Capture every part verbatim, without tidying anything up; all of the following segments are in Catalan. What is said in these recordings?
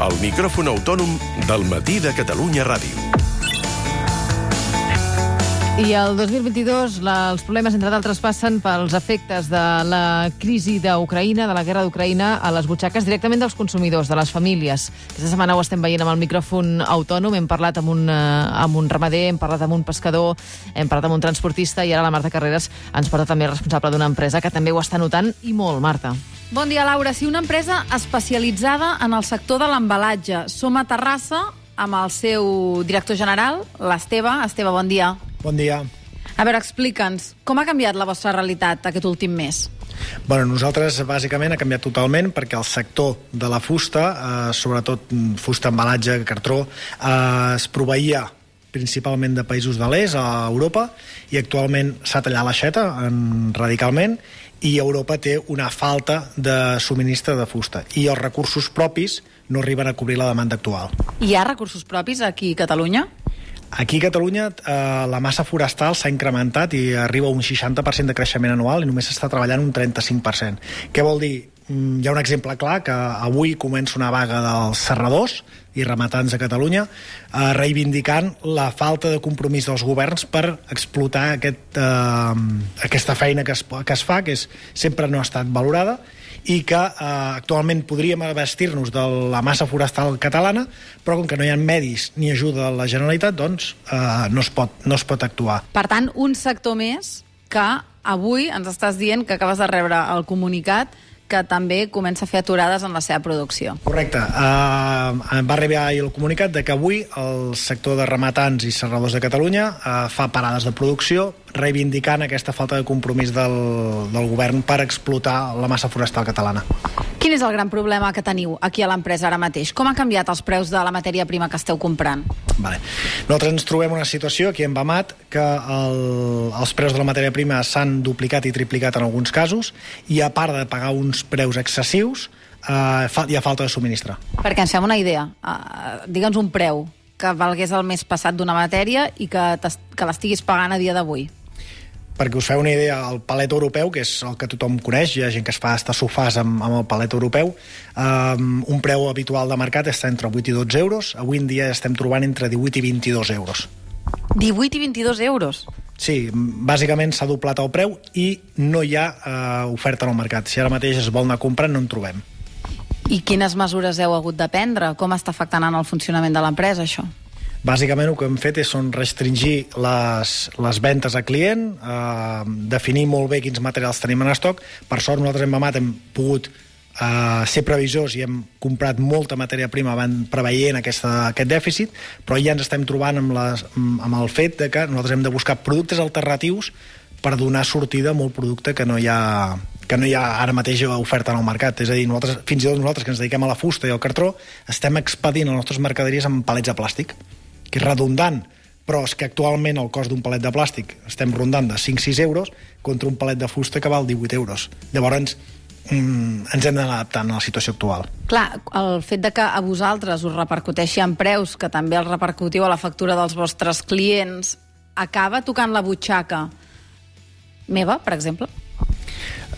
El micròfon autònom del Matí de Catalunya Ràdio. I el dos mil vint-i-dos la, els problemes, entre d'altres, passen pels efectes de la crisi d'Ucraïna, de la guerra d'Ucraïna, a les butxaques directament dels consumidors, de les famílies. Aquesta setmana ho estem veient amb el micròfon autònom. Hem parlat amb un, eh, amb un ramader, hem parlat amb un pescador, hem parlat amb un transportista i ara la Marta Carreras ens porta també responsable d'una empresa que també ho està notant i molt, Marta. Bon dia, Laura. Sí, una empresa especialitzada en el sector de l'embalatge. Som a Terrassa amb el seu director general, l'Esteve. Esteve, bon dia. Bon dia. A veure, explica'ns, com ha canviat la vostra realitat aquest últim mes? Bueno, nosaltres, bàsicament, ha canviat totalment perquè el sector de la fusta, eh, sobretot fusta, embalatge, cartró, eh, es proveïa principalment de països de l'est, a Europa, i actualment s'ha tallat l'aixeta en, radicalment, i Europa té una falta de subministre de fusta. I els recursos propis no arriben a cobrir la demanda actual. Hi ha recursos propis aquí a Catalunya? Aquí a Catalunya eh, la massa forestal s'ha incrementat i arriba a un seixanta per cent de creixement anual i només s'està treballant un trenta-cinc per cent. Què vol dir? Mm, hi ha un exemple clar que avui comença una vaga dels serradors i rematants a Catalunya eh, reivindicant la falta de compromís dels governs per explotar aquest, eh, aquesta feina que es, que es fa, que és, sempre no ha estat valorada, i que eh, actualment podríem abastir-nos de la massa forestal catalana, però com que no hi ha medis ni ajuda de la Generalitat, doncs eh, no, es pot, no es pot actuar. Per tant, un sector més que avui ens estàs dient que acabes de rebre el comunicat que també comença a fer aturades en la seva producció. Correcte. Uh, va arribar el comunicat de que avui el sector de rematants i serradors de Catalunya uh, fa parades de producció reivindicant aquesta falta de compromís del, del govern per explotar la massa forestal catalana. Quin és el gran problema que teniu aquí a l'empresa ara mateix? Com han canviat els preus de la matèria prima que esteu comprant? Vale. Nosaltres ens trobem una situació aquí en Bamat que el, els preus de la matèria prima s'han duplicat i triplicat en alguns casos, i a part de pagar uns preus excessius, eh, fa, hi ha falta de subministre. Perquè ens fem una idea. Uh, Digue'ns un preu que valgués el mes passat d'una matèria i que, que l'estiguis pagant a dia d'avui. Perquè us feu una idea, el palet europeu, que és el que tothom coneix, hi ha gent que es fa hasta sofàs amb, amb el palet europeu, um, un preu habitual de mercat està entre vuit i dotze euros, avui en dia estem trobant entre divuit i vint-i-dos euros. divuit i vint-i-dos euros? Sí, bàsicament s'ha doblat el preu i no hi ha uh, oferta en el mercat. Si ara mateix es vol anar a comprar, no en trobem. I quines mesures heu hagut de prendre? Com està afectant en el funcionament de l'empresa, això? Bàsicament el que hem fet és són restringir les, les ventes a client, eh, definir molt bé quins materials tenim en estoc. Per sort nosaltres en Bamat hem pogut eh, ser previsors i hem comprat molta matèria prima preveient aquesta, aquest dèficit, però ja ens estem trobant amb, les, amb el fet de que nosaltres hem de buscar productes alternatius per donar sortida a molt producte que no hi ha que no hi ha ara mateix oferta en el mercat. És a dir, nosaltres, fins i tot nosaltres que ens dediquem a la fusta i al cartró, estem expedint les nostres mercaderies amb palets de plàstic, que és redundant, però és que actualment el cost d'un palet de plàstic estem rondant de cinc a sis euros contra un palet de fusta que val divuit euros. Llavors, mm, ens hem d'anar adaptant a la situació actual. Clar, el fet de que a vosaltres us repercuteixi en preus, que també els repercutiu a la factura dels vostres clients, acaba tocant la butxaca meva, per exemple?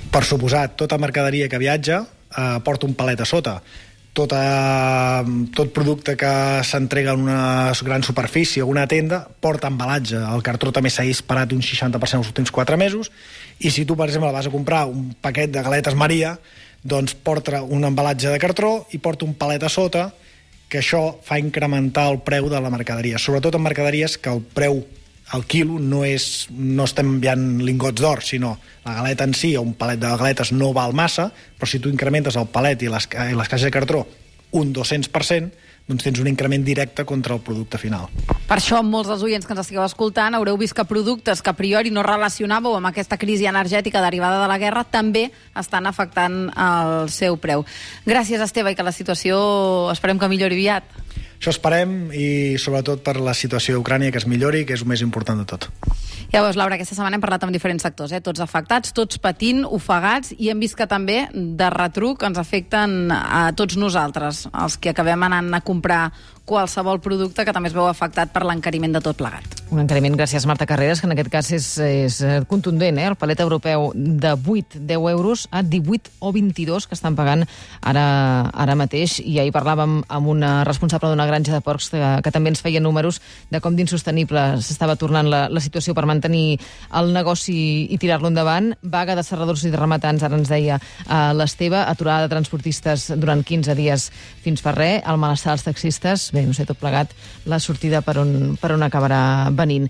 Per suposat, tota mercaderia que viatja eh, porta un palet a sota. Tota, tot producte que s'entrega en una gran superfície o una tenda porta embalatge. El cartró també s'ha disparat un seixanta per cent els últims quatre mesos, i si tu, per exemple, vas a comprar un paquet de galetes Maria, doncs porta un embalatge de cartró i porta un palet a sota, que això fa incrementar el preu de la mercaderia, sobretot en mercaderies que el preu al quilo no és, no estem enviant lingots d'or, sinó la galeta en si o un palet de galetes no val massa, però si tu incrementes el palet i les, i les caixes de cartró un dos-cents per cent, doncs tens un increment directe contra el producte final. Per això, molts dels oients que ens estigueu escoltant haureu vist que productes que a priori no relacionàveu amb aquesta crisi energètica derivada de la guerra també estan afectant el seu preu. Gràcies, Esteve, i que la situació esperem que millori aviat. Això esperem, i sobretot per la situació d'Ucrània, que es millori, que és el més important de tot. Ja veus, Laura, aquesta setmana hem parlat amb diferents sectors, eh? Tots afectats, tots patint, ofegats, i hem vist que també de retruc ens afecten a tots nosaltres, els que acabem anant a comprar qualsevol producte que també es veu afectat per l'encariment de tot plegat. Un encariment, gràcies Marta Carreras, que en aquest cas és, és contundent, eh? El palet europeu de vuit a deu euros a divuit o vint-i-dos que estan pagant ara, ara mateix. I ahir parlàvem amb una responsable d'una granja de porcs que, que també ens feia números de com d'insostenible s'estava tornant la, la situació per mantenir el negoci i tirar-lo endavant. Vaga de serradors i de rematants, ara ens deia uh, l'Esteve, aturada de transportistes durant quinze dies fins fa res, el malestar dels taxistes, bé, no sé, tot plegat, la sortida per on, per on acabarà venint.